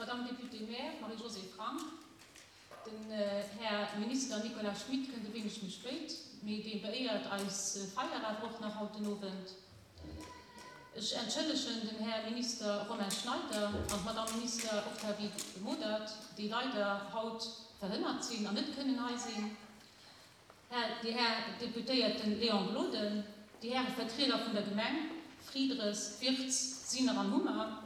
D'Madame Députée-maire Marie-Josée Frank, den Här Minister Nicolas Schmit kënnt e wéineg méi spéit, mee dee beéiert eis Feier awer och nach haut den Owend. Ech entschëllegen den Här Minister Romain Schneider an d'Madame Minister Octavie Modert, déi leider haut verhënnert sinn an net kënnen hei sinn. Här, déi Här Deputéierten Léon Gloden, déi Häre Vertrieder vun der Gemeng Fridres, Wirtz, Sinner an Hummer,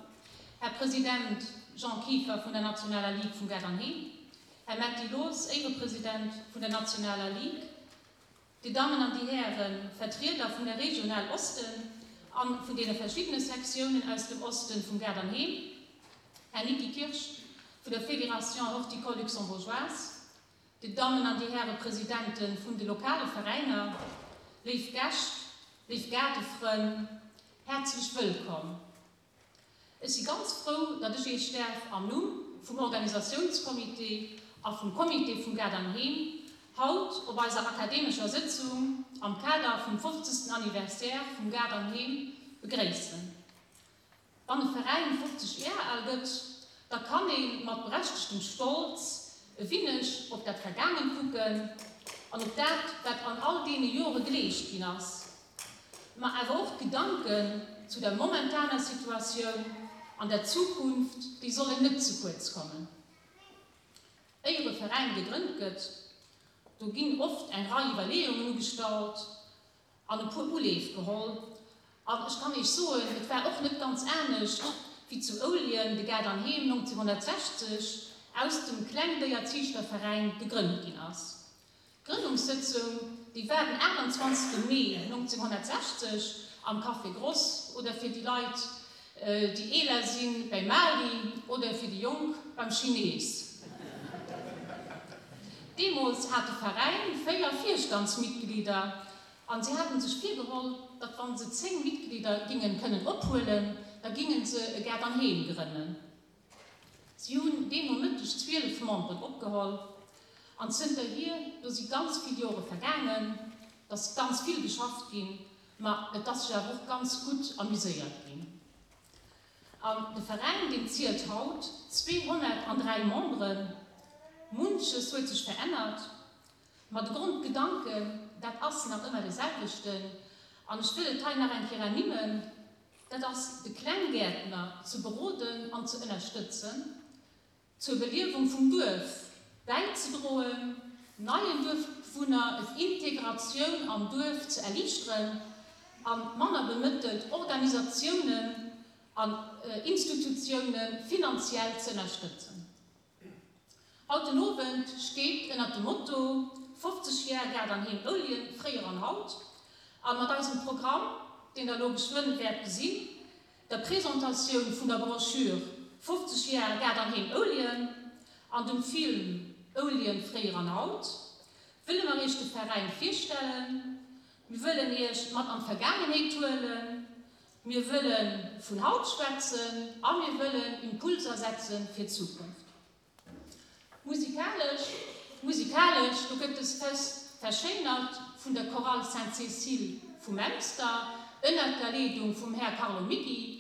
Här President Jean Kieffer vun der Nationaler Ligue vum Gaart an Heem, Här Metty Loos, Éirepresident vun der Nationaler Ligue, Dir Dammen an déi Häre Vertrieder vun der Regional Osten an vun deene verschiddene Sektiounen aus dem Osten vum Gaart an Heem, Här Niki Kirsch vun der Fédération Horticole Luxembourgeoise, Dir Dammen an Dir Häre Presidente vun de lokale Veräiner, léif Gäscht, léif Gaardefrënn, häerzlech wëllkomm. Ech si ganz frou, datt ech Iech däerf am Numm vum Organisatiounscomité a vum Comité vum Gaart an Heem haut op eiser akademescher Sëtzung am Kader vum 50. Anniversaire vum Gaart an Heem begréissen. Wann e Veräin 50 Jar al gëtt, da kann ee mat berechtegtem Stolz e winneg op dat Vergaangent kucken an op dat, wat an all deene Jore geleescht ginn ass, ma awer och d'Gedanken zu der momentaner Situatioun an der Zukunft, déi sollen net ze kuerz kommen. Éier e Veräin gegrënnt gëtt, do ginn oft eng Rei Iwwerleeungen ugestallt, an e puer Uleef geholl. An ech kann Iech soen, et war och net ganz anescht wéi zu Ouljen de Gaart an Heem 1960 aus dem Klengdéierziichterveräin gegrënnt ginn ass. D'Grënnungssëtzung, déi war den 28 Mee 1960 am Café Gross oder fir déi Leit, déi eeler sinn, bäi Mali oder fir déi Jonk beim Chinees. Deemools hat de Veräin 4 Virstandsmitglieder an si haten sech virgeholl, datt wann se 10 Mitglieder gingen kënnen ophuelen, da gingen se e Gaart an Heem grënnen. Si hunn deen Nomëtteg 12 Memberen opgeholl an zënterhier, do si ganz vill Jore vergaangen, et ass ganz vill geschafft ginn, ma et ass sech awer och ganz gutt amuséiert ginn. An de Veräin, deen zielt haut 203 Memberen. Munches huet sech verännert, ma de Grondgedanken, dat ass nach ëmmer dee selwechten. An ech wëll et hei nach eng Kéier ernimmen, dat ass de Klenggäertner ze beroden an ze ënnerstëtzen, zur Beliewung vum Duerf bäizedroen, neien Duerfbewunner d'Integratioun am Duerf ze erliichteren a manner bemëttelt Organisatiounen an Institutioune finanziell ze ënnerstëtzen. Haut den Owend steet ënnert dem Motto 50 Jar Gaart an Heem Ouljen, fréier an haut a mat eisem Programm, deen der elo geschwënn wäert gesinn, der Presentatioun vun der Broschür 50 Jar Gaart an Heem Ouljen an dem Film Ouljen, fréier an haut wëlle mer Iech de Veräin virstellen. Mir wëllen Iech mat an d'Vergaangenheet huelen, mir wëlle vun haut schwätzen a mir wëllen Impulser setze fir d'Zukunft. Musikalesch, Musikalesch, do gëtt dës Fest verschéinert vun der Chorale Sainte-Cécile vu Memster ënnert der Leedung vum Här Carlo Micki.